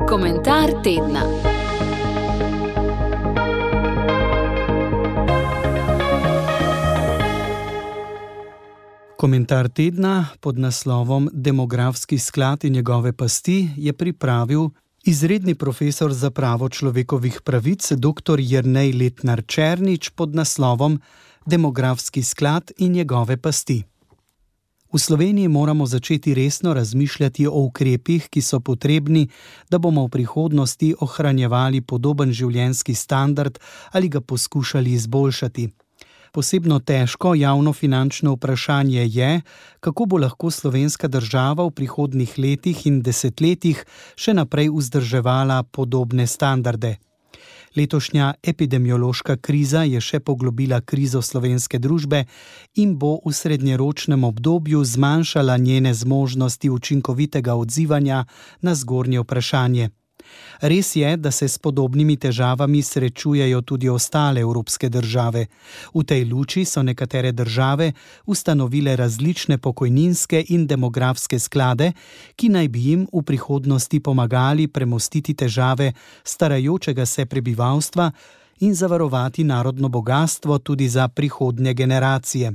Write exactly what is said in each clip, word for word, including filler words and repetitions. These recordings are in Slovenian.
Komentar tedna. Komentar tedna pod naslovom Demografski sklad in njegove pasti je pripravil izredni profesor za pravo človekovih pravic dr. Jernej Letnar Černič pod naslovom Demografski sklad in njegove pasti. V Sloveniji moramo začeti resno razmišljati o ukrepih, ki so potrebni, da bomo v prihodnosti ohranjevali podoben življenjski standard ali ga poskušali izboljšati. Posebno težko javnofinančno vprašanje je, kako bo lahko slovenska država v prihodnjih letih in desetletjih še naprej vzdrževala podobne standarde. Letošnja epidemiološka kriza je še poglobila krizo slovenske družbe in bo v srednjeročnem obdobju zmanjšala njene zmožnosti učinkovitega odzivanja na zgornje vprašanje. Res je, da se s podobnimi težavami srečujejo tudi ostale evropske države. V tej luči so nekatere države ustanovile različne pokojninske in demografske sklade, ki naj bi jim v prihodnosti pomagali premostiti težave starajočega se prebivalstva in zavarovati narodno bogastvo tudi za prihodnje generacije.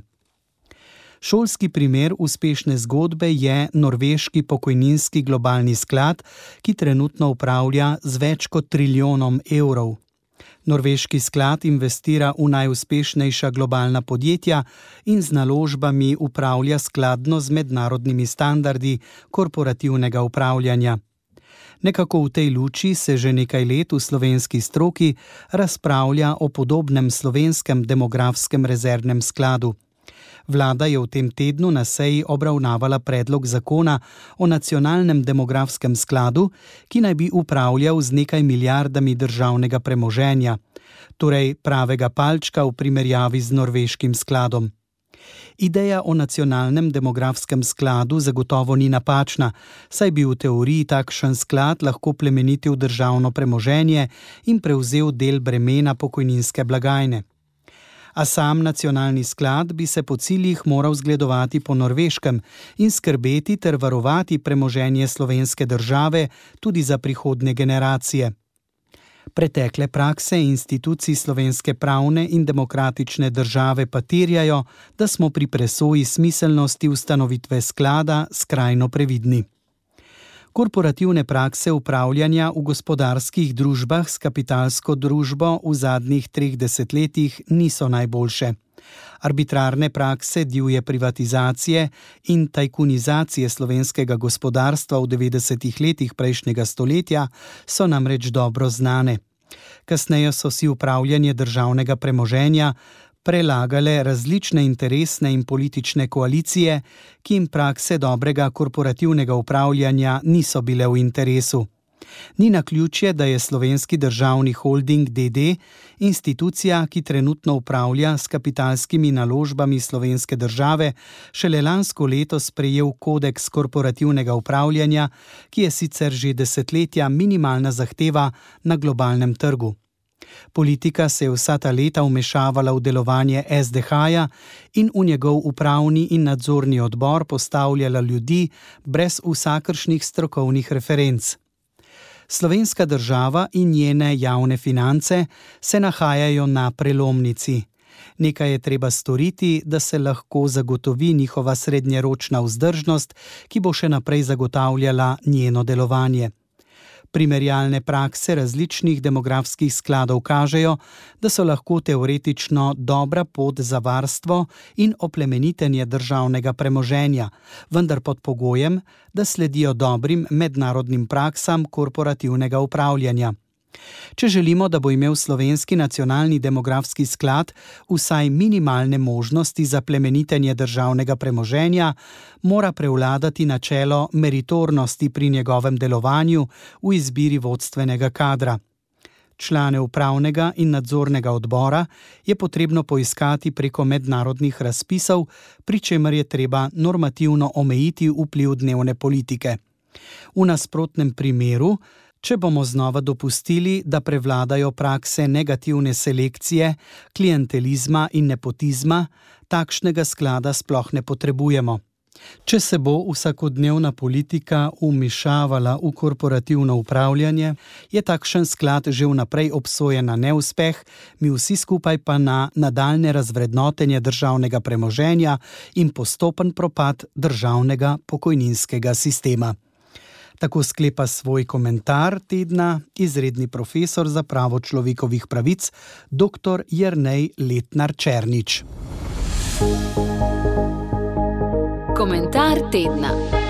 Šolski primer uspešne zgodbe je norveški pokojninski globalni sklad, ki trenutno upravlja z več kot trilijonom evrov. Norveški sklad investira v najuspešnejša globalna podjetja in z naložbami upravlja skladno z mednarodnimi standardi korporativnega upravljanja. Nekako v tej luči se že nekaj let v slovenski stroki razpravlja o podobnem slovenskem demografskem rezervnem skladu. Vlada je v tem tednu na seji obravnavala predlog zakona o nacionalnem demografskem skladu, ki naj bi upravljal z nekaj milijardami državnega premoženja, torej pravega palčka v primerjavi z norveškim skladom. Ideja o nacionalnem demografskem skladu zagotovo ni napačna, saj bi v teoriji takšen sklad lahko plemenitil državno premoženje in prevzel del bremena pokojninske blagajne. A sam nacionalni sklad bi se po ciljih moral zgledovati po norveškem in skrbeti ter varovati premoženje slovenske države tudi za prihodnje generacije. Pretekle prakse institucij slovenske pravne in demokratične države pa terjajo, da smo pri presoji smiselnosti ustanovitve sklada skrajno previdni. Korporativne prakse upravljanja v gospodarskih družbah s kapitalsko družbo v zadnjih treh desetletjih niso najboljše. Arbitrarne prakse divje privatizacije in tajkunizacije slovenskega gospodarstva v devetdesetih letih prejšnjega stoletja so namreč dobro znane. Kasneje so si upravljanje državnega premoženja prelagale različne interesne in politične koalicije, ki jim prakse dobrega korporativnega upravljanja niso bile v interesu. Ni naključje, da je Slovenski državni holding D D institucija, ki trenutno upravlja s kapitalskimi naložbami slovenske države, šele lansko leto sprejel kodeks korporativnega upravljanja, ki je sicer že desetletja minimalna zahteva na globalnem trgu. Politika se je vsa ta leta vmešavala v delovanje S D H-ja in v njegov upravni in nadzorni odbor postavljala ljudi brez vsakršnih strokovnih referenc. Slovenska država in njene javne finance se nahajajo na prelomnici. Nekaj je treba storiti, da se lahko zagotovi njihova srednjeročna vzdržnost, ki bo še naprej zagotavljala njeno delovanje. Primerjalne prakse različnih demografskih skladov kažejo, da so lahko teoretično dobra pot za varstvo in oplemenitenje državnega premoženja, vendar pod pogojem, da sledijo dobrim mednarodnim praksam korporativnega upravljanja. Če želimo, da bo imel slovenski nacionalni demografski sklad vsaj minimalne možnosti za plemenitenje državnega premoženja, mora prevladati načelo meritornosti pri njegovem delovanju v izbiri vodstvenega kadra. Člane upravnega in nadzornega odbora je potrebno poiskati preko mednarodnih razpisov, pri čemer je treba normativno omejiti vpliv dnevne politike. V nasprotnem primeru, če bomo znova dopustili, da prevladajo prakse negativne selekcije, klientelizma in nepotizma, takšnega sklada sploh ne potrebujemo. Če se bo vsakodnevna politika vmešavala v korporativno upravljanje, je takšen sklad že vnaprej obsojen na neuspeh, mi vsi skupaj pa na nadaljnje razvrednotenje državnega premoženja in postopen propad državnega pokojninskega sistema. Tako sklepa svoj komentar tedna izredni profesor za pravo človekovih pravic dr. Jernej Letnar Černič. Komentar tedna.